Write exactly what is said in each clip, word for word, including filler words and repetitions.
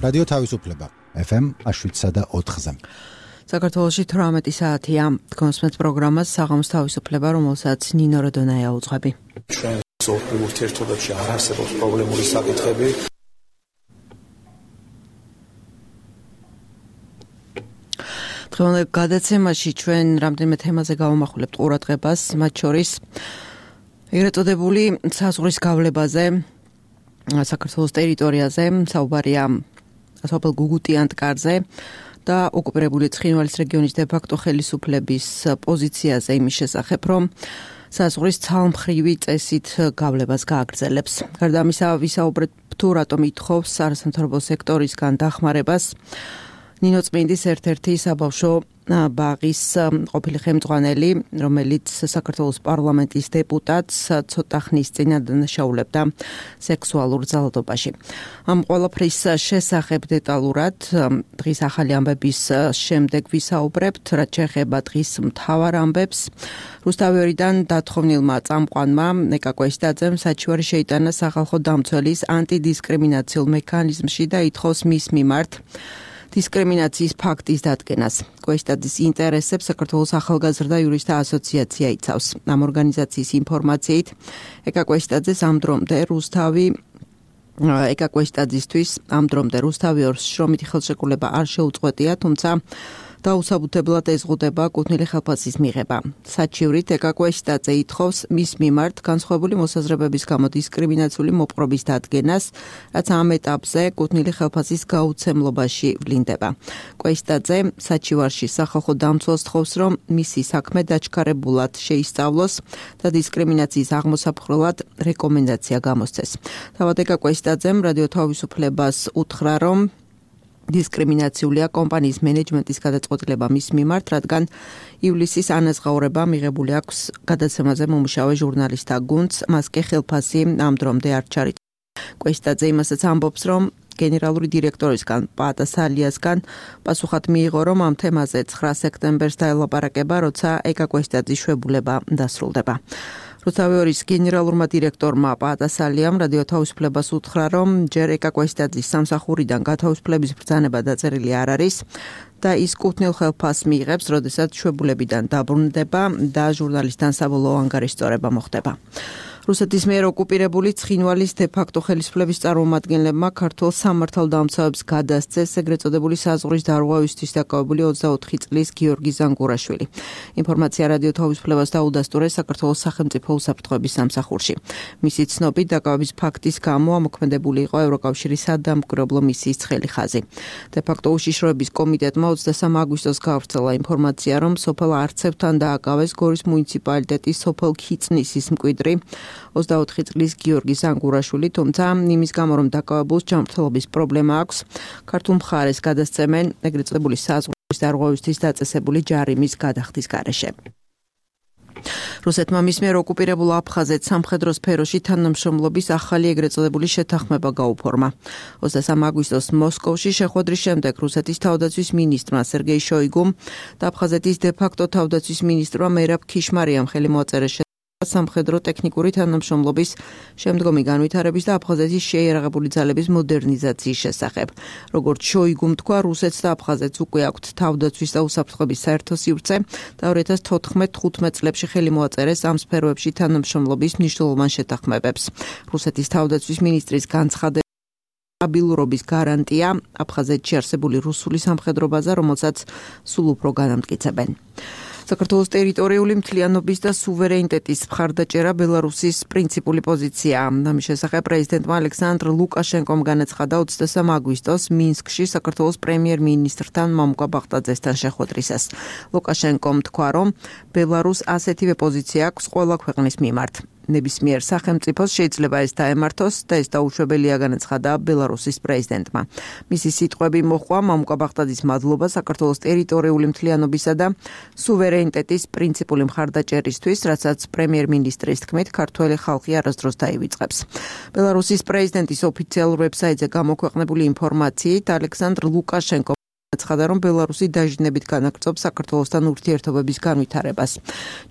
რადიო თავისუფლება ეფ ემ შვიდსა და ოთხზე. საქართველოში თვრამეტი საათია. გონსმენთ პროგრამას საღამოს თავისუფლება, რომელსაც ნინო როდონაია უძღვები. ჩვენ სოფლიურ ურთიერთობებში არ არსებობს პრობლემური საკითხები. დღევანდელ გადაცემაში ჩვენ რამდენიმე თემაზე გავამახვილებთ ყურადღებას, მათ შორის ეგრეთ წოდებული საზღვრის გავლებაზე საქართველოს ტერიტორიაზე, საუბარია სოფელ გუგუტიანტკარზე და ოკუპირებული ცხინვალის რეგიონის დე-ფაქტო ხელისუფლების პოზიციაზე იმის შესახებ, რომ საზღვრის ცალმხრივი წესით გავლებას გააგრძელებს. გარდა ამისა, ვისაუბრებთ თუ რატომ ითხოვს არასამთავრობო სექტორისგან დახმარებას ნინო წმინდის ერთ-ერთი საბავშვო ბაღის ყოფილი ხელმძღვანელი, რომელიც საქართველოს პარლამენტის დეპუტატს ცოტა ხნის წინ ადანაშაულებდა სექსუალურ ძალადობაში. ამ ყველაფრის შესახებ დეტალურად დღის ახალი ამბების შემდეგ ვისაუბრებთ, რაც შეეხება დღის მთავარ ამბებს. რუსთავიორიდან დათხოვნილმა წამყვანმა ნეკა კვესტაძემ საჩივარი შეიტანა სახალხო დამცველის ანტიდისკრიმინაციულ მექანიზმში და ითხოვს მის მიმართ დისკრიმინაციის ფაქტის დადგენას. კვესტაძის ინტერესებს საქართველოს ახალგაზრდა იურისტთა ასოციაცია იცავს. ამ ორგანიზაციის ინფორმაციით, ეკა კვესტაძეს ამ დრომდე რუსთავი ეკა კვესტაძისთვის ამ დრომდე რუსთავიორს შრომითი ხელშეკრულება არ შეუწყვეტია, თუმცა დაუსაბუთებლად ეზღუდება კუთვნილი ხელფასის მიღება. საჩივრით ეკა კვესტაძე ითხოვს მის მიმართ განსხვავებული მოსაზრებების გამო დისკრიმინაციული მოპყრობის დადგენას, რაც ამ ეტაპზე კუთვნილი ხელფასის გაუცემლობაში ვლინდება. კვესტაძე საჩივარში სახალხო დამცველს თხოვს, რომ მისი საქმე დაჩქარებულად შეისწავლოს და დისკრიმინაციის აღმოსაფხვრელად რეკომენდაცია გამოსცეს. თავად ეკა კვესტაძემ რადიო თავისუფლებას უთხრა, რომ დისკრიმინაციულია კომპანიის მენეჯმენტის გადაწყვეტილება მის მიმართ, რადგან ივლისის ანაზღაურება მიღებული აქვს გადაცემაზე მომუშავე ჟურნალისტთა გუნდს, მას კი ხელფასი ამ დრომდე არ ჩარიცხა. კვესტაძე იმასაც ამბობს, რომ გენერალური დირექტორისგან პაატა სალიასგან პასუხად მიიღო, რომ ამ თემაზე ცხრა სექტემბერს დაელაპარაკება, როცა ეკა კვესტაძის შვებულება დასრულდება. რუსთავიორის გენერალურმა დირექტორმა პაატა სალიამ რადიო თავისუფლებას უთხრა, რომ ჯერ ეკა კვესტაძის სამსახურიდან გათავისუფლების ბრძანება დაწერილი არ არის და ის კუთვნილ ხელფასს მიიღებს, როდესაც შვებულებიდან დაბრუნდება და ჟურნალისტთან საბოლოო ანგარიშწორება მოხდება. რუსეთის მიერ ოკუპირებული ცხინვალის დე-ფაქტო ხელისუფლების წარმომადგენლებმა ქართულ სამართალდამცავებს გადასცეს ეგრეთ წოდებული საზღვრის დარღვევისთვის დაკავებული ოცდაოთხი წლის გიორგი ზანგურაშვილი. ინფორმაცია რადიო თავისუფლებას დაუდასტურეს საქართველოს სახელმწიფო უსაფრთხოების სამსახურში. მისი ცნობით, დაკავების ფაქტის გამო ამოქმედებული იყო ევროკავშირის სადამკვირვებლო მისიის ცხელი ხაზი. დე-ფაქტო უშიშროების კომიტეტმა ოცდასამი აგვისტოს გავრცელა ინფორმაცია, რომ სოფელ არცევთან დააკავეს გორის მუნიციპალიტეტის სოფელ ქიწნისის მკვიდრი ოცდაოთხი წლის გიორგი ზანგურაშვილი, თუმცა იმის გამო, რომ დაკავებულს ჯანმრთელობის პრობლემა აქვს, ქართულ მხარეს გადასცემენ ეგრეთ წოდებული საზღვრის დარღვევისთვის დაწესებული ჯარიმის გადახდის გარეშე. რუსეთმა მის მიერ ოკუპირებულ აფხაზეთს სამხედრო სფეროში თანამშრომლობის ახალი ეგრეთ წოდებული შეთანხმება გაუფორმა. ოცდასამი აგვისტოს მოსკოვში შეხვედრის შემდეგ რუსეთის თავდაცვის მინისტრმა სერგეი შოიგუმ და აფხაზეთის დე-ფაქტო თავდაცვის მინისტრმა მერაბ ქიშმარიამ ხელი მოაწერეს სამხედრო ტექნიკური თანამშრომლობის შემდგომი განვითარების და აფხაზეთის შეიარაღებული ძალების მოდერნიზაციის შესახებ. როგორც შოიგუმ თქვა, რუსეთს და აფხაზეთს უკვე აქვთ თავდაცვის და უსაფრთხოების საერთო სივრცე და ორი ათას თოთხმეტ თხუთმეტ წლებში ხელი მოაწერეს ამ სფეროებში თანამშრომლობის მნიშვნელოვან შეთანხმებებს. რუსეთის თავდაცვის მინისტრის განცხადებით, სტაბილურობის გარანტია აფხაზეთში არსებული რუსული სამხედრო ბაზა, რომელსაც სულ უფრო განამტკიცებენ. საქართველოს ტერიტორიული მთლიანობის და სუვერენიტეტის მხარდაჭერა ბელარუსის პრინციპული პოზიცია. ამის შესახებ პრეზიდენტმა ალექსანდრ ლუკაშენკომ განაცხადა ოცდასამი აგვისტოს მინსკში საქართველოს პრემიერ-მინისტრთან მამუკა ბახტაძესთან შეხვედრისას. ლუკაშენკომ თქვა, რომ ბელარუსს ასეთივე პოზიცია აქვს ყველა ქვეყნის მიმართ. ნებისმიერ სახელმწიფოს შეიძლება ეს დაემართოს და ეს დაუშვებელია, განაცხადა ბელარუსის პრეზიდენტმა. მისი სიტყვები მოჰყვა მამუკა ბახტაძის მადლობა საქართველოს ტერიტორიული მთლიანობისა და სუვერენიტეტის პრინციპული მხარდაჭერისთვის, რასაც პრემიერ-მინისტრის თქმით ქართველი ხალხი არასდროს დაივიწყებს. ბელარუსის პრეზიდენტის ოფიციალურ ვებსაიტზე გამოქვეყნებული ინფორმაციით ალექსანდრ ლუკაშენკო ცხადა, რომ ბელარუსი დაჟინებით განაგრძობს საქართველოსთან ურთიერთობების განვითარებას.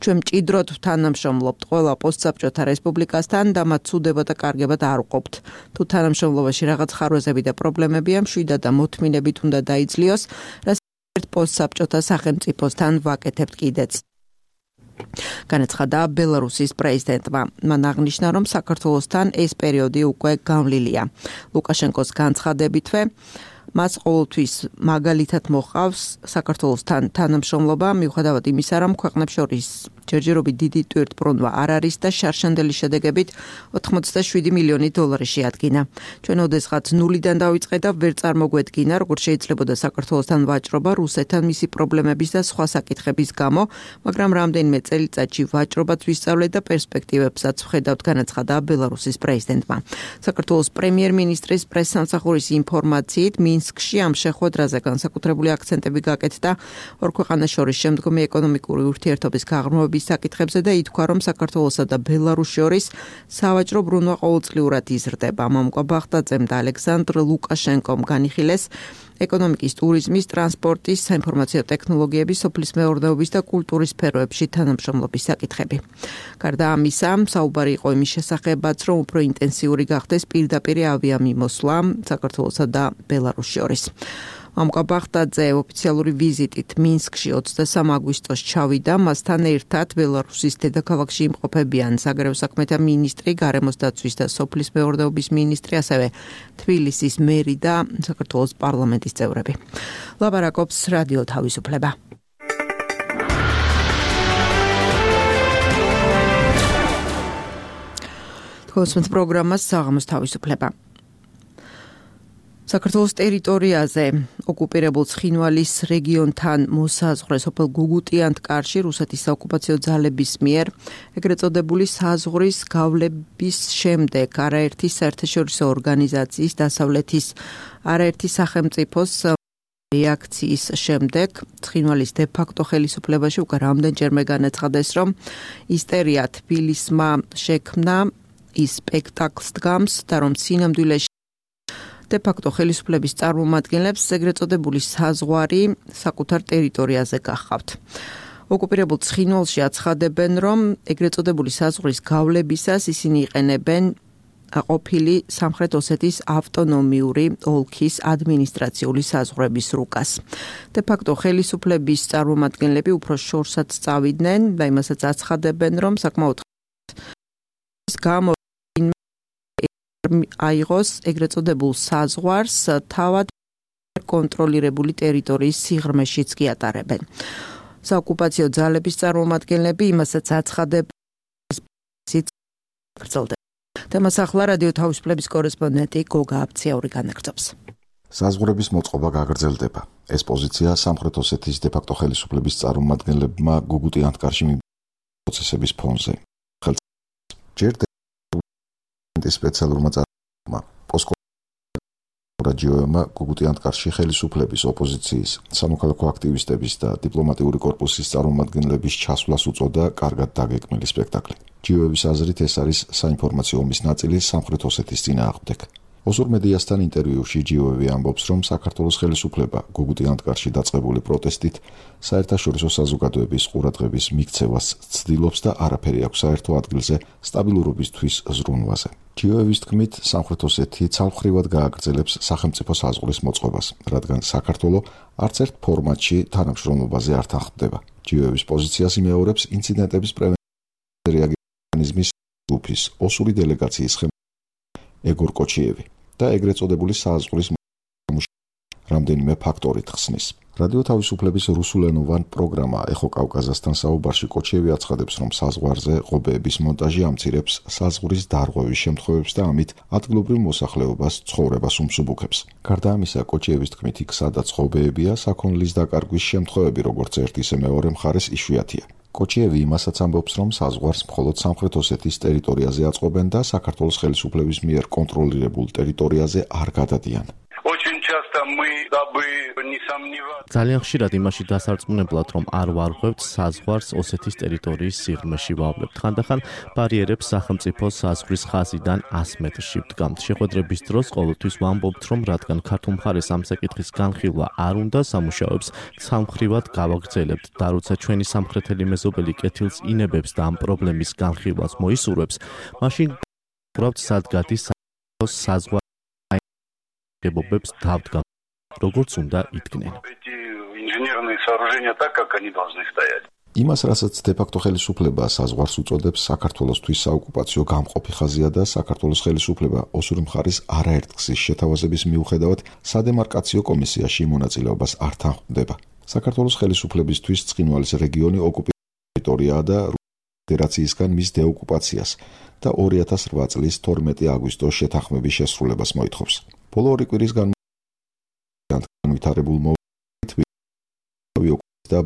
ჩვენ მჭიდროდ თანამშრომლობთ ყველა პოსტსაბჭოთა რესპუბლიკასთან და მათ ცუდება და კარგებად არ ვყოფთ. თუ თანამშრომლობაში რაღაც ხარვეზები და პრობლემებია, მშვიდად და მოთმინებით უნდა დაიძლიოს, რაც ერთ პოსტსაბჭოთა სახელმწიფოსთან ვაკეთებთ კიდეც. განაცხადა ბელარუსის პრეზიდენტმა. მან აღნიშნა, რომ საქართველოსთან ეს პერიოდი უკვე განვლილია. ლუკაშენკოს განცხადებითვე მას ყოველთვის მაგალითად მოყავს საქართველოსთან თანამშრომლობა, მიუხედავად იმისა, რომ ქვეყნებს შორის ჯერჯერობით დიდი ტვირთბრუნვა არ არის და შარშანდელი შედეგებით ოთხმოცდაშვიდი მილიონი დოლარი შეადგინა. ჩვენ ოდესღაც ნულიდან დავიწყე და ვერ წარმოგვედგინა, როგორ შეიძლებოდა საქართველოსთან ვაჭრობა რუსეთთან მისი პრობლემების და სხვა საკითხების გამო, მაგრამ რამდენიმე წელიწადში ვაჭრობაც ვისწავლეთ და პერსპექტივებსაც ვხედავთ, განაცხადა ბელარუსის პრეზიდენტმა. საქართველოს პრემიერ-მინისტრის პრესსამსახურის ინფორმაციით, მინსკში ამ შეხვედრაზე განსაკუთრებული აქცენტები გაკეთდა ორ ქვეყანას შორის შემდგომი ეკონომიკური ურთიერთობის გაღრმავების საკითხებზე და ითქვა, რომ საქართველოსა და ბელარუსს შორის სავაჭრო ბრუნვა ყოველწლიურად იზრდება. მამუკა ბახტაძემ და ალექსანდრ ლუკაშენკომ განიხილეს ეკონომიკის, ტურიზმის, ტრანსპორტის, საინფორმაციო ტექნოლოგიების, სოფლის მეურნეობის და კულტურის სფეროებში თანამშრომლობის საკითხები. გარდა ამისა, საუბარი იყო იმის შესახებაც, რომ უფრო ინტენსიური გახდეს პირდაპირ ავიამიმოსვლა საქართველოსა და ბელარუსს შორის. მამუკა ბახტაძე ოფიციალური ვიზიტით მინსკში ოცდასამ აგვისტოს ჩავიდა, მასთან ერთად ბელარუსის დედაქალაქში იმყოფებიან საგარეო საქმეთა მინისტრი, გარემოს დაცვის და სოფლის მეურნეობის მინისტრი, ასევე თბილისის მერი და საქართველოს პარლამენტის წევრები. ლაპარაკობს რადიო თავისუფლება. თქვენს პროგრამას საღამოს თავისუფლება. საქართველოს ტერიტორიაზე ოკუპირებულ ცხინვალის რეგიონთან მოსაზღვრე სოფელ გუგუტიანთკარში რუსეთის საოკუპაციო ძალების მიერ ეგრეთ წოდებული საზღვრის გავლების შემდეგ არაერთი საერთაშორისო ორგანიზაციის დასავლეთის არაერთი სახელმწიფოს რეაქციის შემდეგ ცხინვალის დე-ფაქტო ხელისუფლებაში უკვე რამდენჯერმე განაცხადეს, რომ ისტერია თბილისმა შექმნა ის სპექტაკლს დგამს და რომ სინამდვილეში დე-ფაქტო ხელისუფლების წარმომადგენლებს ეგრეთ წოდებული საზღვარი საკუთარ ტერიტორიაზე გახავთ. ოკუპირებულ ცხინვალში აცხადებენ, რომ ეგრეთ წოდებული საზღვრის გავლებისას ისინი იყენებენ ყოფილი სამხრეთ ოსეთის ავტონომიური ოლქის ადმინისტრაციული საზღვრების რუკას. დე-ფაქტო ხელისუფლების წარმომადგენლები უფრო შორსაც წავიდნენ და იმასაც აცხადებენ, რომ საკმაოდ გამო აიღოს ეგრეთ წოდებულ საზღვარს თავად კონტროლირებული ტერიტორიის სიღრმეშიც კი ატარებენ. საოკუპაციო ძალების წარმომადგენლები იმასაც აცხადებენ, თემას ახლა რადიო თავისუფლების კორესპონდენტი გოგა აბციაური განაგრძობს. საზღვრების მოწყობა გაგრძელდება. ეს პოზიცია სამხრეთ ოსეთის დე-ფაქტო ხელისუფლების წარმომადგენლებმა გუგუტიანთკარში პროცესების ფონზე. ჯერ სპეციალურმა წარმომადგენლებმა პოსკორაჯიოემა გუგუტიანთკარში ხელისუფლების, ოპოზიციის, სამოქალაქო აქტივისტების და დიპლომატიური კორპუსის წარმომადგენლების ჩასვლას უწოდა კარგად დაგეგმილი სპექტაკლი. ჯიოევის აზრით ეს არის საინფორმაციო ომის ნაწილი სამხრეთ ოსეთის წინააღმდეგ. ოსურ მედიასთან ინტერვიუში ჯიოევი ამბობს, რომ საქართველოს ხელისუფლება გუგუტიანთკარში დაწყებული პროტესტით საერთაშორისო საზოგადოების ყურადღების მიქცევას ცდილობს და არაფერი აქვს საერთო ადგილზე სტაბილურობისთვის ზრუნვაზე. ჯიოევის თქმით, სამხრეთ ოსეთი ცალმხრივად გააგრძელებს სახელმწიფო საზღვრის მოწყობას, რადგან საქართველო არც ერთ ფორმატში თანამშრომლობაზე არ თანხმდება. ჯიოევის პოზიციას იმეორებს ინციდენტების პრევენციის რეაგირების ჯგუფის ოსური დელეგაციის ხელმძღვანელი ეგორ კოჩიევი და ეგრეთ წოდებული საზღვრის რამდენიმე ფაქტორით ხსნის. რადიო თავისუფლების რუსულენოვან პროგრამა ეხო კავკაზასთან საუბარში კოჩიევი აცხადებს, რომ საზღვარზე ღობეების მონტაჟი ამცირებს საზღვრის დარღვევის შემთხვევებს და ამით ადგილობრივ მოსახლეობას ცხოვრებას უმსუბუქებს. გარდა ამისა, კოჩიევის თქმით, იქ სადაც ღობეებია, საქონლის დაკარგვის შემთხვევები როგორც ერთ ისე მეორე მხარეს იშვიათია. კოჩიევი იმასაც ამბობს, რომ საზღვარს მხოლოდ სამხრეთ ოსეთის ტერიტორიაზე აწყობენ და საქართველოს ხელისუფლების მიერ კონტროლირებულ ტერიტორიაზე არ გადადიან. Очень часто мы ძალიან ხშირად იმაში დასარწმუნებლად, რომ არ ვარღვევთ საზღვარს ოსეთის ტერიტორიის სიღრმეში ვავლებთ. ხანდახან ბარიერებს სახელმწიფო საზღვრის ხაზიდან ას მეტრში ვდგამთ. შეხვედრების დროს ყოველთვის ვამბობთ, რომ რადგან ქართულ მხარეს ამ საკითხის განხილვა არ უნდა, სამუშაოებს სამხრივად გავაგრძელებთ და როცა ჩვენი სამხრეთელი მეზობელი კეთილს ინებებს და ამ პრობლემის განხილვას მოისურვებს, მაშინ გრავთ სად გადის საზღვარგებობებს დავდგამ, როგორც უნდა იდგნენ. იმას, რასაც დე-ფაქტო ხელისუფლება საზღვარს უწოდებს, საქართველოსთვის საოკუპაციო გამყოფი ხაზია და საქართველოს ხელისუფლება ოსური მხარის არაერთგზის შეთავაზების მიუხედავად სადემარკაციო კომისიაში მონაწილეობას არ თანხმდება. საქართველოს ხელისუფლებისთვის ცხინვალის რეგიონი ოკუპირებული ტერიტორიაა და ფედერაციისგან მის დეოკუპაციას და ორი ათას რვა წლის თორმეტი აგვისტოს შეთანხმების შესრულებას მოითხოვს. ბოლო ორი კვირის განვითარებულ მოვლენით და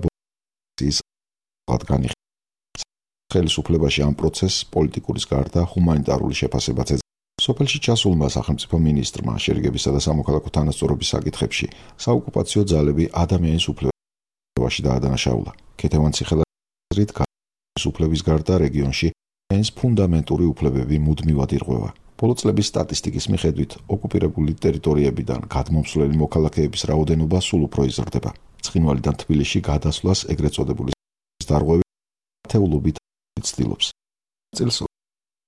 ხელისუფლებაში ამ პროცესს პოლიტიკურის გარდა ჰუმანიტარული შეფასებაც ეძებდა. სოფელში ჩასულმა სახელმწიფო მინისტრმა შერიგებისა და სამოქალაქო თანასწორობის საკითხებში საოკუპაციო ძალები ადამიანის უფლებაში დაადანაშაულა. ქეთევან ციხელაძრით ხელისუფლების გარდა რეგიონში ეს ფუნდამენტური უფლებები მუდმივად ირღვევა. ბოლო წლების სტატისტიკის მიხედვით ოკუპირებული ტერიტორიებიდან გადმომსვლელი მოქალაქეების რაოდენობა სულ უფრო იზრდება. ცხინვალიდან თბილისში გადასვლას ეგრეთ წოდებული დარღვევი ათეულობით ცდილობს. წელს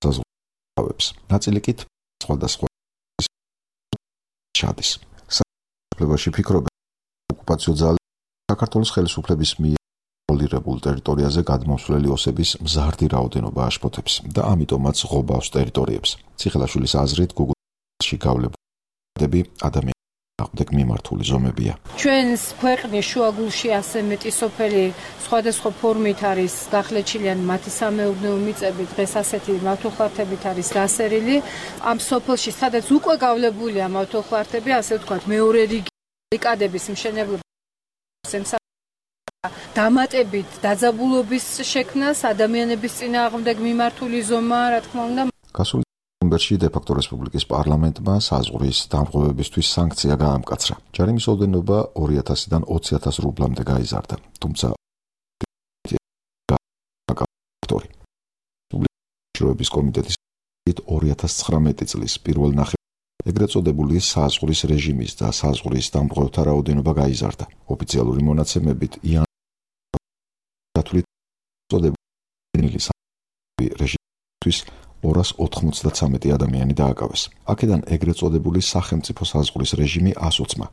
საზღვარგავებს. ნაწილი კი სხვადასხვა ჩადის. საქართველოში ფიქრობენ ოკუპაციო ძალები საქართველოს ხელისუფლების მიერ კონტროლირებულ ტერიტორიაზე გადმოსვლელი ოსების მზარდი რაოდენობა აშფოთებს და ამიტომაც ღობავს ტერიტორიებს. ციხელაშვილის აზრით გუგლში გავლებული ადამიანები აღდგ მიმართული ზომებია. ჩვენს ქვეყნის შუაგულში ასე მეტი სოფელი სხვადასხვა ფორმით არის გახლეჩილი ან მათი სამეურნეო მიწები დღეს ასეთი მავთულხლართებით არის დასერილი. ამ სოფელში სადაც უკვე გავლებულია მავთულხლართები, ასე ვთქვათ, მეორე რიგი რიკადების მშენებლობა დამატებით დაძაბულობის შექმნას, ადამიანების წინააღმდეგ მიმართული ზომა, რა თქმა უნდა. გასული ნოემბერში დე-ფაქტო რესპუბლიკის პარლამენტმა საზღვრის დამრღვევებისთვის სანქცია გაამკაცრა. ჯარიმის ოდენობა ორი ათასიდან ოცი ათას რუბლამდე გაიზარდა. თუმცა რესპუბლიკის კომიტეტის ორი ათას ცხრამეტი წლის პირველ ნახევარში ეგრეთ წოდებული საზღვრის რეჟიმის და საზღვრის დამრღვევთა რაოდენობა გაიზარდა. ოფიციალური მონაცემებით იან რეჟიმისთვის ორას ოთხმოცდაცამეტი ადამიანი დააკავეს. აქედან ეგრეთ წოდებული სახელმწიფო საზღვრის რეჟიმი ას ოცმა,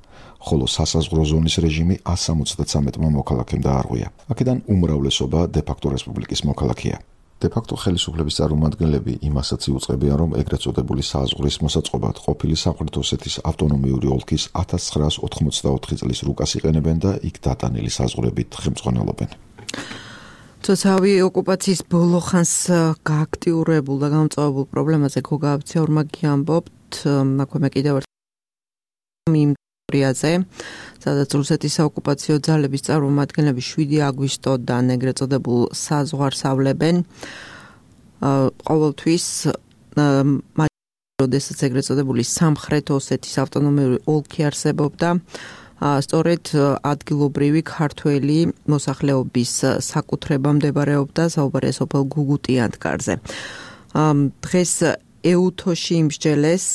ხოლო სასაზღვრო ზონის რეჟიმი ას სამოცდაცამეტმა მოქალაქემ დაარღვია. აქედან უმრავლესობა დე-ფაქტო რესპუბლიკის მოქალაქეა. დე-ფაქტო ხელისუფლების წარმომადგენლები იმასაც იუწყებიან, რომ ეგრეთ წოდებული საზღვრის მოსაწყობად ყოფილი სამხრეთ ოსეთის ავტონომიური ოლქის ათას ცხრაას ოთხმოცდაოთხი წლის რუკას იყენებენ და იქ დატანილი საზღვრებით ხელმძღვანელობენ. თოთავი ოკუპაციის ბოლო ხანს გააქტიურებულ და გამწვავებულ პრობლემაზე გოგა აბციაურმა გიამბობთ, აქვე კიდევ იმ ტერიტორიაზე, სადაც რუსეთის საოკუპაციო ძალების წარმომადგენლები შვიდი აგვისტოდან ეგრეთ წოდებულ საზღვარს ავლებენ. ყოველთვის როდესაც ეგრეთ წოდებული სამხრეთ ოსეთის ავტონომიური ოლქი არსებობდა, სწორედ ადგილობრივი ქართველი მოსახლეობის საკუთრება მდებარეობდა საუბარია სოფელ გუგუტიანთკარზე. დღეს ეუთოში იმსჯელეს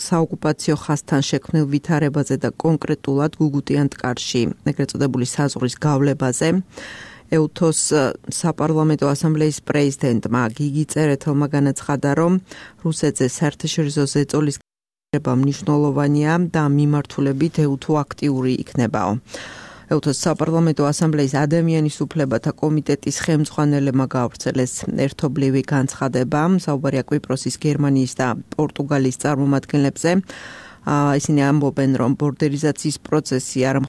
საოკუპაციო ხაზთან შექმნილ ვითარებაზე და კონკრეტულად გუგუტიანთკარში ეგრეთ წოდებული საზღვრის გავლებაზე. ეუთოს საპარლამენტო ასამბლეის პრეზიდენტმა გიგი წერეთელმა განაცხადა, რომ რუსეთზე საერთაშორისო ზეწოლის მნიშვნელოვანია და მიმართულებით ეუთო აქტიური იქნებაო. ეუთოს საპარლამენტო ასამბლეის ადამიანის უფლებათა კომიტეტის ხელმძღვანელებმა გაავრცელეს ერთობლივი განცხადება, საუბარია კვიპროსის, გერმანიის და პორტუგალიის წარმომადგენლებზე. ისინი ამბობენ, რომ ბორდერიზაციის პროცესი არ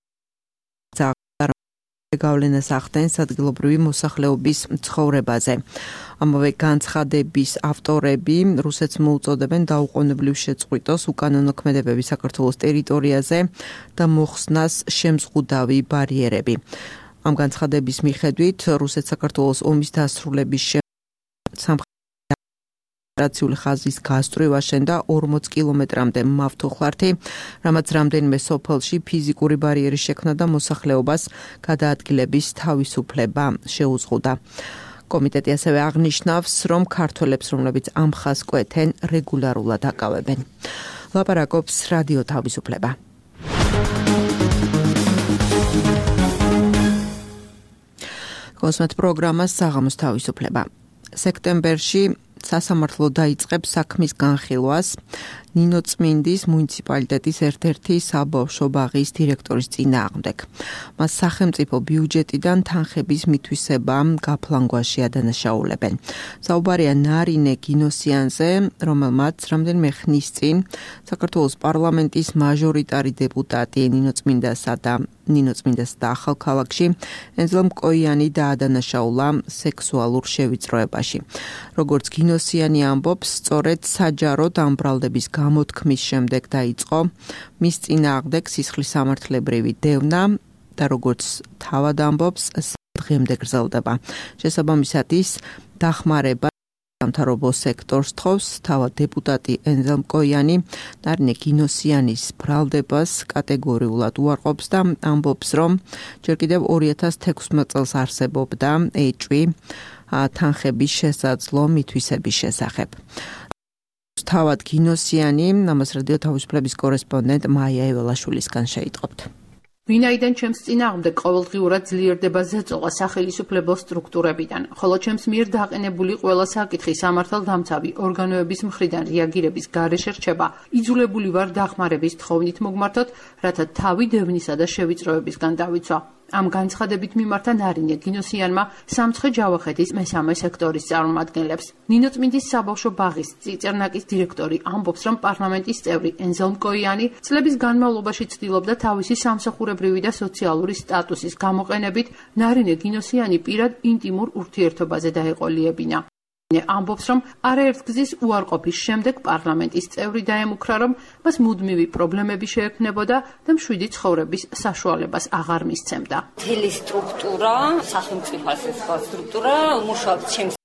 გავლენას ახდენს ადგილობრივი მოსახლეობის ცხოვრებაზე. ამავე განცხადების ავტორები რუსეთს მოუწოდებენ დაუყოვნებლივ შეწყვიტოს უკანონო ქმედებები საქართველოს ტერიტორიაზე და მოხსნას შემზღუდავი ბარიერები. ამ განცხადების მიხედვით რუსეთ-საქართველოს ომის დასრულების შემდეგ რაციული ხაზის გასწვრივ აშენდა ორმოც კილომეტრამდე მავთუხლართი, რამაც რამდენიმე სოფელში ფიზიკური ბარიერის შექმნა და მოსახლეობას გადაადგილების თავისუფლება შეუზღუდა. კომიტეტი ასევე აღნიშნავს, რომ ქართველებს, რომლებიც ამ ხაზს კვეთენ, რეგულარულად აკავებენ. ლაპარაკობს რადიო თავისუფლება. კონსმეთ პროგრამას საღამოს თავისუფლება. სექტემბერში სასამართლო დაიწყებს საქმის განხილვას ნინოწმინდის მუნიციპალიტეტის ერთ-ერთი საბავშვო ბაღის დირექტორის წინააღმდეგ. მას სახელმწიფო ბიუჯეტიდან თანხების მითვისება გაფლანგვაში ადანაშაულებენ. საუბარია ნარინე გინოსიანზე, რომელმაც რამდენიმე ხნის წინ საქართველოს პარლამენტის მაჟორიტარი დეპუტატი ნინოწმინდასა და ნინოწმინდას და ახალქალაქში ენზელ მკოიანი დაადანაშაულა სექსუალურ შევიწროებაში. როგორც გინოსიანი ამბობს, სწორედ საჯაროდ ამბრალდების გამოთქმის შემდეგ დაიწყო მის წინააღმდეგ სისხლის სამართლებრივი დევნა და როგორც თავად ამბობს, დღემდე გრძელდება. შესაბამისად ის დახმარება სამთავრობო სექტორს თხოვს. თავად დეპუტატი ენზელ მკოიანი ნარინე გინოსიანის ბრალდებას კატეგორიულად უარყოფს და ამბობს, რომ ჯერ კიდევ ორი ათას თექვსმეტ წელს არსებობდა ეჭვი თანხების შესაძლო მითვისების შესახებ. თავად გინოსიანი, ამას რადიო თავისუფლების კორესპონდენტ მაია ეველაშვილისგან შეიტყობთ. ვინაიდან ჩემს წინააღმდეგ ყოველდღიურად ძლიერდება ზეწოლა სახელმწიფო სტრუქტურებიდან, ხოლო ჩემს მიერ დაყენებული ყველა საკითხი სამართალდამცავი ორგანოების მხრიდან რეაგირების გარეშე რჩება, იძულებული ვარ დახმარების თხოვნით მოგმართოთ, რათა თავი დევნისა და შევიწროებისგან დავიცვა. ამ განცხადებით მიმართა ნარინე გინოსიანმა სამცხე ჯავახეთის მესამე სექტორის წარმომადგენლებს. ნინოწმინდის საბავშვო ბაღის წიწერნაკის დირექტორი ამბობს, რომ პარლამენტის წევრი ენზელ მკოიანი წლების განმავლობაში ცდილობდა თავისი სამსახურებრივი და სოციალური სტატუსის გამოყენებით ნარინე გინოსიანი პირად ინტიმურ ურთიერთობაზე დაეყოლიებინა. ამბობს, რომ არაერთგზის უარყოფის შემდეგ პარლამენტის წევრი დაემუქრა, რომ მას მუდმივი პრობლემები შეექმნებოდა და მშვიდი ცხოვრების საშუალებას აღარ მისცემდა. მთელი სტრუქტურა, სახელმწიფო სტრუქტურა მუშაობს ჩემს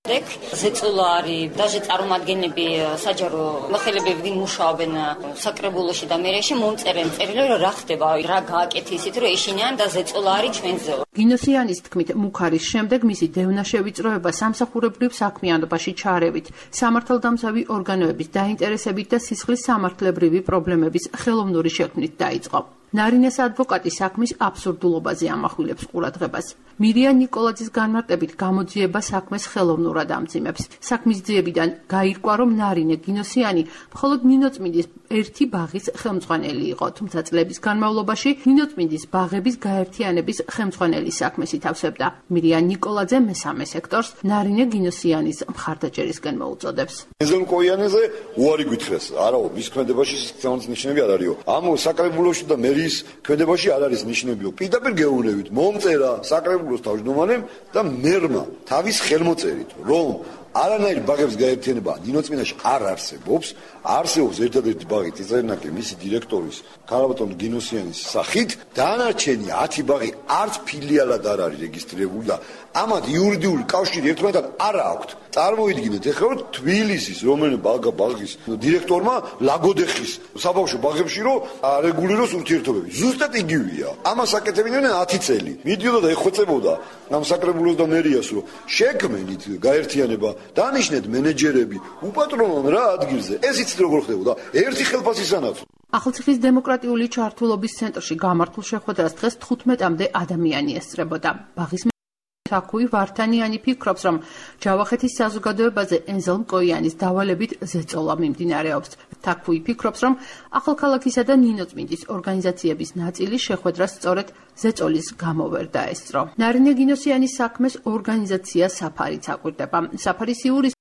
ზეწოლა არის, даже წარმომადგენლები საჯარო მოხელებები მუშაობენ საკრებულოში და მერეში მომწერენ წერილები, რომ რა ხდება, რა გააკეთე ისეთ, რომ ეშინიან და ზეწოლა არის ჩვენზე. გინოსიანის თქმით, მუქარის შემდეგ მისი დევნა შევიწროება სამსახურებრივ საქმიანობაში ჩარევით, სამართალდამცავი ორგანოების დაინტერესებით და სისხლის სამართლებრივი პრობლემების ხელოვნური შექმნით დაიწყო. ნარინეს ადვოკატი საქმის აბსურდულობაზე ამახვილებს ყურადღებას. მირია ნიკოლაძის განმარტებით გამოძიება საქმეს ხელოვნურად ამძიმებს. საქმის ძიებიდან გაირკვა, რომ ნარინე გინოსიანი მხოლოდ ნინოწმინდის ერთი ბაღის ხელმძღვანელი იყო, თუმცა წლების განმავლობაში ნინოწმინდის ბაღების გაერთიანების ხელმძღვანელის საქმეს ითავსებდა. მირია ნიკოლაძე მესამე სექტორს ნარინე გინოსიანის მხარდაჭერისკენ მოუწოდებს. ენზელ მკოიანეზე უარი გითხრეს, არაო, მის ქმედებაში სიცხეების ნიშნები არ არისო. ამ საკრებულოში და მერის ქმედებაში არ არის ნიშნებიო. პირდაპირ გეუბნებით, მომწერა საკრებულოს თავმჯდომარემ და მერმა თავის ხელმოწერით, რომ არანაირ ბაღებს გაერთიანება ნინოწმინდაში არ არსებობს, არსებობს ერთადერთი ბაღი წიწერნაკი მისი დირექტორის ქალბატონ გინოსიანის სახით, დანარჩენი ათი ბაღი არც ფილიალად არ არის რეგისტრირებული და ამათ იურიდიული კავშირი ერთმანეთთან არ აქვთ. წარმოიდგინეთ, ეხლა რომ თბილისის რომელიმე ბაღა ბაღის დირექტორმა ლაგოდეხის საბავშვო ბაღებში რომ არეგულიროს ურთიერთობები. ზუსტად იგივეა. ამას აკეთებდნენ ათი წელი. მიდიოდა და ეხვეწებოდა ამ საკრებულოს და მერიას, რომ შექმნით გაერთიანება, დანიშნეთ მენეჯერები, უპატრონონ რა ადგილზე. ეს იცით როგორ ხდებოდა? ერთი ხელფასისანაც. ახალციხის დემოკრატიული ჩართულობის ცენტრში გამართულ შეხვედრას დღეს თხუთმეტამდე ადამიანი ესწრებოდა. ბაღის თაკუი ვართანიანი ფიქრობს, რომ ჯავახეთის საზოგადოებაზე ენზელ მკოიანის დავალებით ზეწოლა მიმდინარეობს. თაკუი ფიქრობს, რომ ახალქალაქისა და ნინოწმინდის ორგანიზაციების ნაწილი შეხვედრას სწორედ ზეწოლის გამო ვერ დაესწრო. ნარინე გინოსიანის საქმეს ორგანიზაცია საფარიც აკვირდება. საფარის იურის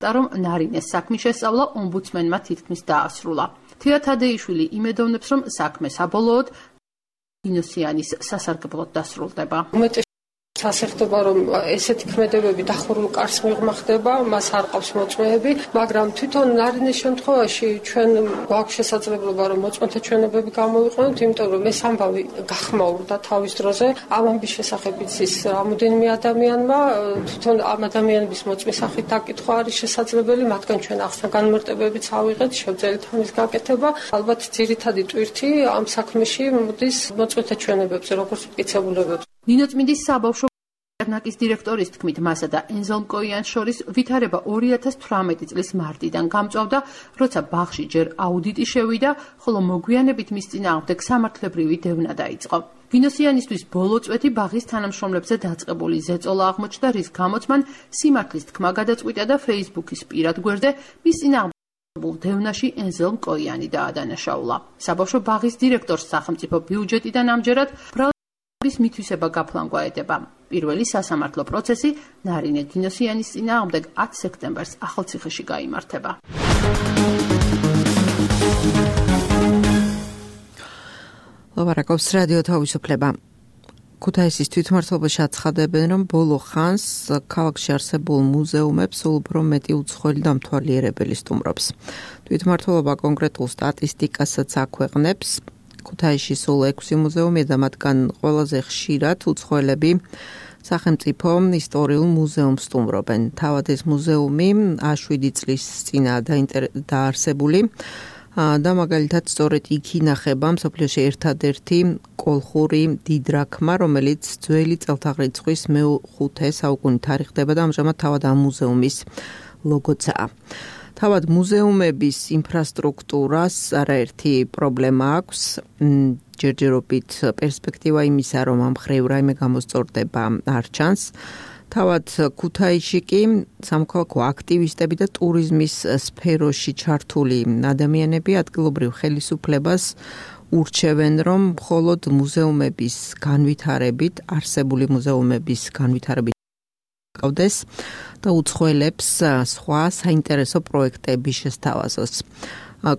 რომ ნარინეს საქმის შესწავლა ომბუდსმენმა თითქმის დაასრულა. თია თადეიშვილი იმედოვნებს, რომ საქმე საბოლოოდ გინოსიანის სასარგებლოდ დასრულდება. ასე ხდება, რომ ესეთი ქმედებები დახურულ კარს მიღმა ხდება, მას არ ყავს მოწმეები, მაგრამ თვითონ ნარინის შემთხვევაში ჩვენ გვაქვს შესაძლებლობა, რომ მოწმეთა ჩვენებები გამოვიყვანოთ, იმიტომ რომ ეს ამბავი გახმაურდა თავის დროზე. ამ ამბის შესახებ იცის რამოდენიმე ადამიანმა, თვითონ ამ ადამიანების მოწმის სახით დაკითხვა არის შესაძლებელი, მათგან ჩვენ ახსნა განმარტებებიც ავიღეთ, შევძელით ამის გაკეთება. ალბათ ძირითადი ტვირთი ამ საქმეში მოდის მოწმეთა ჩვენებებზე, როგორც მტკიცებულებებზე. ნინოწმინდის საბავშვო ერნაკის დირექტორის თქმით, მასა და ენზელ მკოიანს შორის ვითარება ორი ათას თვრამეტი წლის მარტიდან გამწვავდა, როცა ბაღში ჯერ აუდიტი შევიდა, ხოლო მოგვიანებით მის წინააღმდეგ სამართლებრივი დევნა დაიწყო. ვინოსიანისთვის ბოლო წვეთი ბაღის თანამშრომლებზე დაწყებული ზეწოლა აღმოჩნდა, რის გამოც მან სიმართლის თქმა გადაწყვიტა და Facebook-ის პირად გვერდზე მის წინააღმდეგ დევნაში ენზელ მკოიანი დაადანაშაულა. საბავშვო ბაღის დირექტორს სახელმწიფო ბიუჯეტიდან ამჯერად ბრალების მითვისება გაფლანგვა ედება. პირველი სასამართლო პროცესი ნარინე გინოსიანის წინააღმდეგ ათი სექტემბერს ახალციხეში გაიმართება. ლაპარაკობს რადიო თავისუფლება. ქუთაისის თვითმმართველობაში აცხადებენ, რომ ბოლო ხანს ქალაქში არსებულ მუზეუმებს სულ უფრო მეტი უცხოელი დამთვალიერებელი სტუმრობს. თვითმმართველობა კონკრეტულ სტატისტიკასაც აქვეყნებს. ქუთაისში სულ ექვსი მუზეუმია და მათგან ყველაზე ხშირად უცხოელები სახელმწიფო ისტორიულ მუზეუმს სტუმრობენ. თავად ეს მუზეუმი შვიდი წლის წინაა დაარსებული და მაგალითად სწორედ იქ ინახება მსოფლიოში ერთადერთი კოლხური დიდრაქმა, რომელიც ძველი წელთაღრიცხვის მეხუთე საუკუნით თარიღდება და ამჟამად თავად ამ მუზეუმის ლოგოცაა. თავად მუზეუმების ინფრასტრუქტურას არაერთი პრობლემა აქვს. ჯერჯერობით პერსპექტივა იმისა, რომ ამ მხრივ რაიმე გამოსწორდება არ ჩანს. თავად ქუთაისში კი სამოქალაქო აქტივისტები და ტურიზმის სფეროში ჩართული ადამიანები ადგილობრივ ხელისუფლებას ურჩევენ, რომ მხოლოდ მუზეუმების განვითარებით, არსებული მუზეუმების განვითარებით გავდეს და უცხოელებს სხვა საინტერესო პროექტები შესთავაზოს.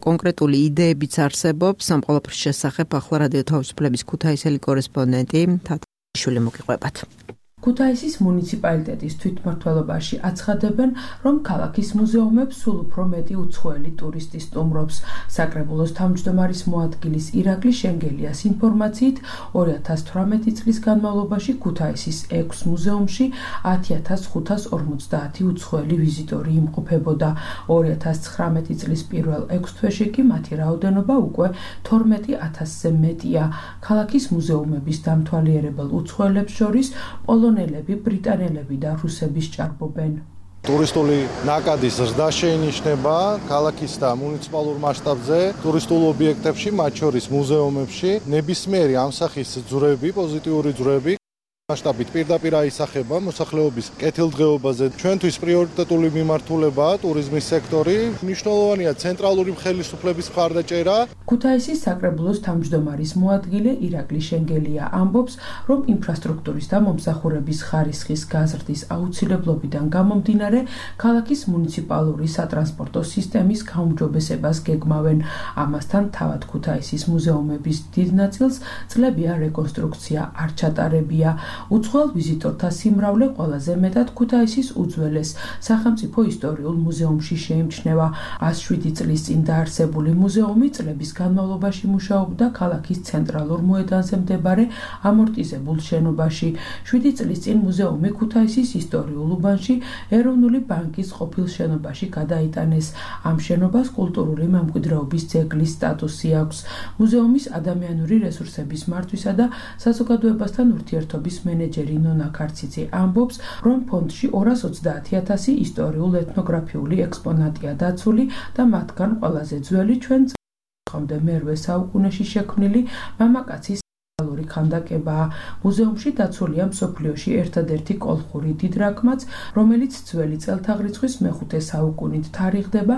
კონკრეტული იდეებიც არსებობს ამ ყველაფრის შესახებ. ახლა რადიო თავისუფლების ქუთაისელი კორესპონდენტი თათაშვილი მოგიყვებათ. ქუთაისის მუნიციპალიტეტის თვითმმართველობაში აცხადებენ, რომ ქალაქის მუზეუმებს სულ უფრო მეტი უცხოელი ტურისტი სტუმრობს. საკრებულოს თავმჯდომარის მოადგილის ირაკლი შენგელიას ინფორმაციით, ორი ათას თვრამეტი წლის განმავლობაში ქუთაისის ექვს მუზეუმში ათი ათას ხუთას ორმოცდაათი უცხოელი ვიზიტორი იმყოფებოდა. ორი ათას ცხრამეტი წლის პირველ ექვს თვეში კი მათი რაოდენობა უკვე თორმეტი ათასზე მეტია. ქალაქის მუზეუმების დამთვალიერებელ უცხოელებს შორის პოლონელები, ბრიტანელები და რუსები სჭარბობენ. ტურისტული ნაკადის ზრდა შეინიშნება ქალაქის და მუნიციპალურ მასშტაბზე, ტურისტულ ობიექტებში, მათ შორის მუზეუმებში, ნებისმიერი ამ სახის ძვრები, პოზიტიური ძვრები მასშტაბით პირდაპირ აისახება მოსახლეობის კეთილდღეობაზე. ჩვენთვის პრიორიტეტული მიმართულებაა ტურიზმის სექტორი. მნიშვნელოვანია ცენტრალური ხელისუფლების მხარდაჭერა. ქუთაისის საკრებულოს თავმჯდომარის მოადგილე ირაკლი შენგელია ამბობს, რომ ინფრასტრუქტურის და მომსახურების ხარისხის გაზრდის აუცილებლობიდან გამომდინარე, ქალაქის მუნიციპალური სატრანსპორტო სისტემის გაუმჯობესებას გეგმავენ. ამასთან თავად ქუთაისის მუზეუმების დიდ ნაწილს წლებია რეკონსტრუქცია არ ჩატარებია. უცხოელ ვიზიტორთა სიმრავლე ყველაზე მეტად ქუთაისის უძველეს სახელმწიფო ისტორიულ მუზეუმში შეიმჩნევა. ას შვიდი წლის წინ დაარსებული მუზეუმი წლების განმავლობაში მუშაობდა ქალაქის ცენტრალურ მოედანზე მდებარე ამორტიზებულ შენობაში. შვიდი წლის წინ მუზეუმი ქუთაისის ისტორიულ უბანში ეროვნული ბანკის ყოფილ შენობაში გადაიტანეს. ამ შენობას კულტურული მემკვიდრეობის ძეგლის სტატუსი აქვს. მუზეუმის ადამიანური რესურსების მართვისა და საზოგადოებასთან ურთიერთობის მენეჯერი ნონა ქარციძე ამბობს, რომ ფონდში ორას ოცდაათი ათასი ისტორიულ ეთნოგრაფიული ექსპონატია დაცული და მათგან ყველაზე ძველი ჩვენ წლამდე მერვე საუკუნეში შექმნილი მამაკაცის ალური ქანდაკებაა. მუზეუმში დაცულია მსოფლიოში ერთადერთი კოლხური დიდრაქმაც, რომელიც ძველი წელთაღრიცხვის მეხუთე საუკუნით თარიღდება.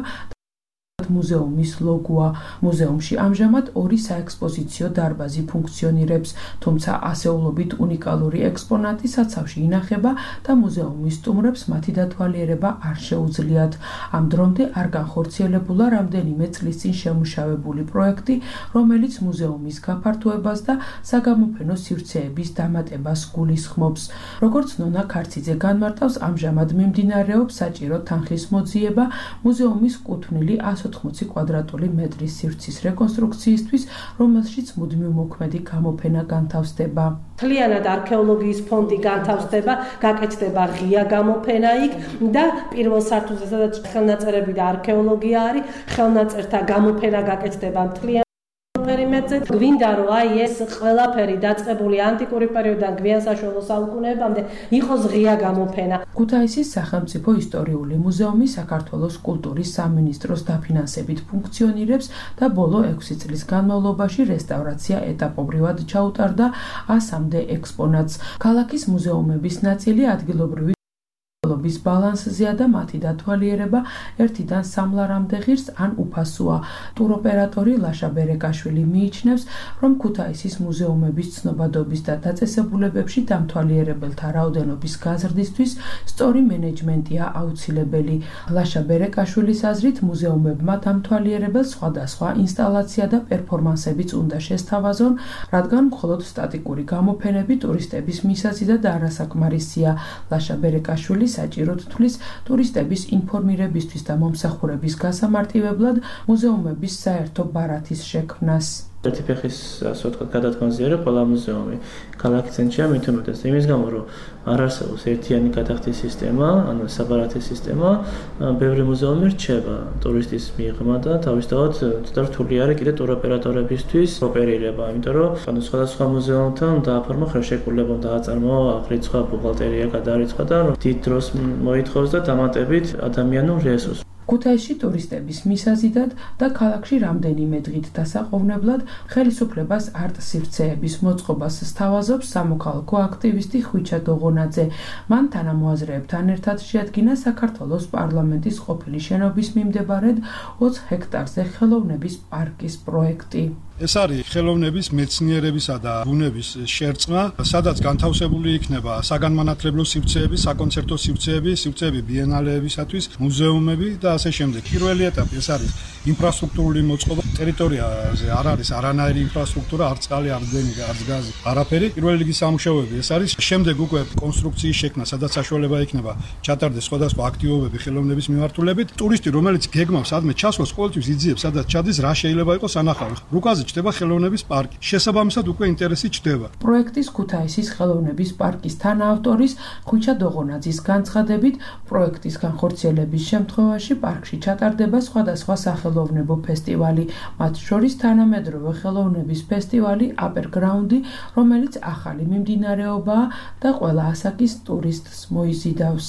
მუზეუმის ლოგოა. მუზეუმში ამჟამად ორი საექსპოზიციო დარბაზი ფუნქციონირებს, თუმცა ასეულობით უნიკალური ექსპონატი საცავში ინახება და მუზეუმის სტუმრებს მათი დათვალიერება არ შეუძლიათ. ამ დრომდე არ განხორციელებულა რამდენიმე წლის წინ შემუშავებული პროექტი, რომელიც მუზეუმის გაფართოებას და საგამოფენო სივრცეების დამატებას გულისხმობს. როგორც ნონა ქარციძე განმარტავს, ამჟამად მიმდინარეობს საჭირო თანხის მოძიება მუზეუმის კუთვნილი εκατს ოთხმოცი კვადრატული მეტრის სივრცის რეკონსტრუქციისთვის, რომელშიც მუდმივმოქმედი გამოფენა განთავსდება. მთლიანად არქეოლოგიის ფონდი განთავსდება, გაკეთდება ღია გამოფენა იქ და პირველ სართულზე, სადაც ხელნაწერები და არქეოლოგია არის, ხელნაწერთა გამოფენა გაკეთდება მთლიანად პერიმეტრზე. გვინდა რომ აი ეს ყველაფერი დაწყებული ანტიკური პერიოდიდან გვიან საშუალო საუკუნეებამდე იყოს ღია გამოფენა. ქუთაისის სახელმწიფო ისტორიული მუზეუმი საქართველოს კულტურის სამინისტროს დაფინანსებით ფუნქციონირებს და ბოლო ექვსი წლის განმავლობაში რესტავრაცია ეტაპობრივად ჩაუტარდა ასამდე ექსპონატს. ქალაქის მუზეუმების ნაწილი ადგილობრივი ობის ბალანსზეა და მათი დათვალიერება ერთიდან სამლარამდე ღირს ან უფასოა. ტუროპერატორი ლაშა ბერეკაშვილი მიიჩნევს, რომ ქუთაისის მუზეუმების ცნობადობის და დაწესებულებებში დამთვალიერებელთა რაოდენობის გაზრდისთვის სწორი მენეჯმენტია აუცილებელი. ლაშა ბერეკაშვილის აზრით, მუზეუმებმა დამთვალიერებელს სხვადასხვა ინსტალაცია და პერფორმანსებიც უნდა შესთავაზონ, რადგან მხოლოდ სტატიკური გამოფენები ტურისტების მისაცი და არასაკმარისია. ლაშა ბერეკაშვილი საჭიროდ თვლის ტურისტების ინფორმირებისთვის და მომსახურების გასამარტივებლად მუზეუმების საერთო ბარათის შექმნას. ერთი ფეხის ასე ვთქვათ გადადგომაზე არის ყველა მუზეუმი. ქალაქის ცენტრია მით უმეტეს იმის გამო, რომ არ არსებობს ერთიანი გადახდის სისტემა, ანუ საბარათი სისტემა, ბევრი მუზეუმი რჩება ტურისტის მიღმა და თავისთავად ცოტა რთული არის კიდე ტუროპერატორებისთვის ოპერირება, იმიტომ რომ ანუ სხვადასხვა მუზეუმთან დააფორმა ხელშეკრულება, დააწარმოა აღრიცხვა, ბუღალტერია გადარიცხვა და დიდ დროს მოითხოვს და დამატებით ადამიანურ რესურსს. ქუთაისში ტურისტების მისაზიდად და ქალაქში რამდენიმე დღით დასაყოვნებლად ხელისუფლებას არტ სივრცეების მოწყობას სთავაზობს სამოქალაქო აქტივისტი ხვიჩა დოღონაძე. მან თანამოაზრეებთან ერთად შეადგინა საქართველოს პარლამენტის ყოფილი შენობის მიმდებარედ ოცი ჰექტარზე ხელოვნების პარკის პროექტი. ეს არის ხელოვნების, მეცნიერებისა და ბუნების შერწყმა, სადაც განთავსებული იქნება საგანმანათლებლო სივრცეები, საკონცერტო სივრცეები, სივრცეები ბიენალეებისათვის, მუზეუმები და ასე შემდეგ. პირველი ეტაპი ეს არის ინფრასტრუქტურული მოწყობა. ტერიტორიაზე არ არის არანაირი ინფრასტრუქტურა, არ წყალი, არ დენი, არ გაზი, არაფერი. პირველი რიგის სამუშაოები ეს არის. შემდეგ უკვე კონსტრუქციის შექმნა, სადაც საშუალება იქნება ჩატარდეს სხვადასხვა აქტივობები ხელოვნების მიმართულებით. ტურისტი, რომელიც გეგმავს ადმე ჩასვლას, ყოველთვის იძიებს, სადაც ჩადის, რა შეიძლება იყოს ანახავი. რუკაზე ჩდება ხელოვნების პარკი. შესაბამისად უკვე ინტერესი ჩდება. პროექტის ქუთაისის ხელოვნების პარკის თანაავტორის ხვიჩა დოღონაძის განცხადებით, პროექტის განხორციელების შემთხვევაში პარკში ჩატარდება სხვადასხვა სახელოვნებო ფესტივალი, მათ შორის თანამედროვე ხელოვნების ფესტივალი აპერგრაუნდი, რომელიც ახალი მიმდინარეობაა და ყველა ასაკის ტურისტს მოიზიდავს.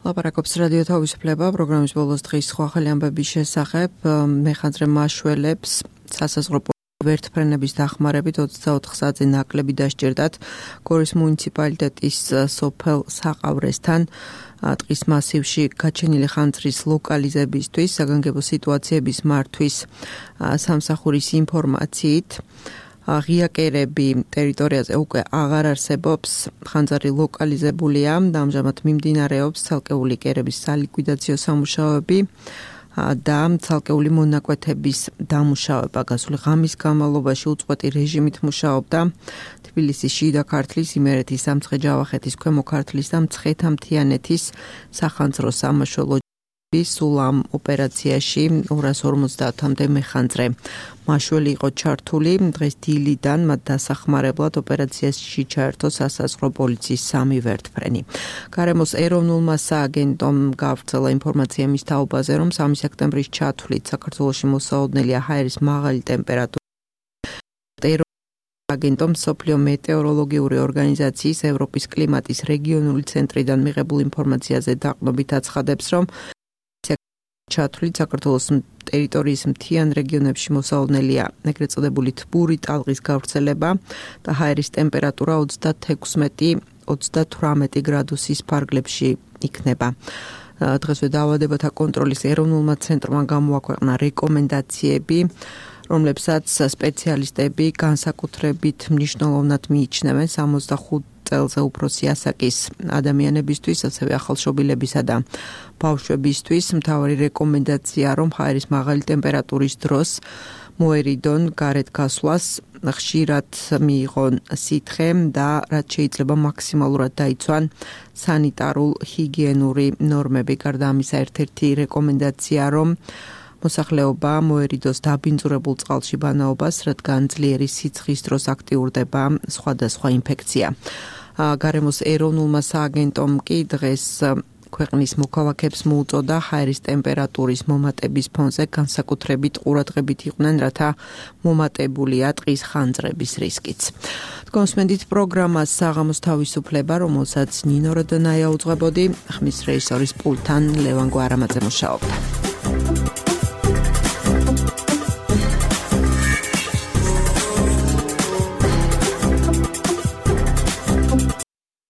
ლაპარაკობს რადიო თავისუფლება პროგრამის ბოლოს დღის სხვა ახალი ამბების შესახებ. მეხანძრე მაშველებს სასაზღვრო ვერტფრენების დახმარებით ოცდაოთხ საათზე ნაკლები დასჭირდათ გორის მუნიციპალიტეტის სოფელ საყავრესთან ტყის მასივში გაჩენილი ხანძრის ლოკალიზებისთვის საგანგებო სიტუაციების მართვის სამსახურის ინფორმაციით. ღია კერები ტერიტორიაზე უკვე აღარ არსებობს, ხანძარი ლოკალიზებულია და ამჟამად მიმდინარეობს ცალკეული კერების სალიკვიდაციო სამუშაოები და ცალკეული მონაკვეთების დამუშავება. გასული ღამის განმავლობაში უწყვეტი რეჟიმით მუშაობდა თბილისის შიდა ქართლის, იმერეთის, სამცხე-ჯავახეთის, ქვემო ქართლის და მცხეთა-მთიანეთის სახანძრო სამაშველო სულ ამ ოპერაციაში ორას ორმოცდაათამდე მეხანძრე მაშველი იყო ჩართული. დღეს დილიდან მათ დასახმარებლად ოპერაციაში ჩაერთო სასაზღვრო პოლიციის სამი ვერტფრენი. გარემოს ეროვნულმა სააგენტომ გავრცელა ინფორმაცია მის თაობაზე, რომ სამი სექტემბრის ჩათვლით საქართველოში მოსაოდნელია ჰაერის მაღალი ტემპერატურა. აგენტომ სოფლიო მეტეოროლოგიური ორგანიზაციის ევროპის კლიმატის რეგიონული ცენტრიდან მიღებულ ინფორმაციაზე დაყრდნობით აცხადებს, რომ ჩათვლით საქართველოს ტერიტორიის მთიან რეგიონებში მოსაოდნელია ეგრეთ წოდებული თბური ტალღის გავრცელება და ჰაერის ტემპერატურა ოცდათექვსმეტი ოცდათვრამეტი გრადუსის ფარგლებში იქნება. დღესვე დაავადებათა კონტროლის ეროვნულმა ცენტრმა გამოაქვეყნა რეკომენდაციები, რომლებსაც სპეციალისტები განსაკუთრებით მნიშვნელოვნად მიიჩნევენ სამოცდახუთ წელზე უფროსი ასაკის ადამიანებისთვის, ასევე ახალშობილებისა და ბავშვებისთვის. მთავარი რეკომენდაცია, რომ ჰაერის მაღალი ტემპერატურის დროს მოერიდონ გარეთ გასვლას, ხშირად მიიღონ სითხე და რაც შეიძლება მაქსიმალურად დაიცვან სანიტარულ ჰიგიენური ნორმები. გარდა ამისა, ერთ-ერთი რეკომენდაცია, რომ მოსახლეობა მოერიდოს დაბინძურებულ წყალში ბანაობას, რადგან ძლიერი სიცხის დროს აქტიურდება სხვადასხვა ინფექცია. გარემოს ეროვნულმა სააგენტომ კი დღეს ქვეყნის მოქალაქეებს მოუწოდა ჰაერის ტემპერატურის მომატების ფონზე განსაკუთრებით ყურადღებით იყვნენ, რათა მომატებულია ტყის ხანძრების რისკიც. თქვენსმენდით პროგრამას საღამოს თავისუფლება, რომელსაც ნინო როდონაია უძღვებოდი, ხმის რეჟისორის პულტთან ლევან გვარამაძე მუშაობდა.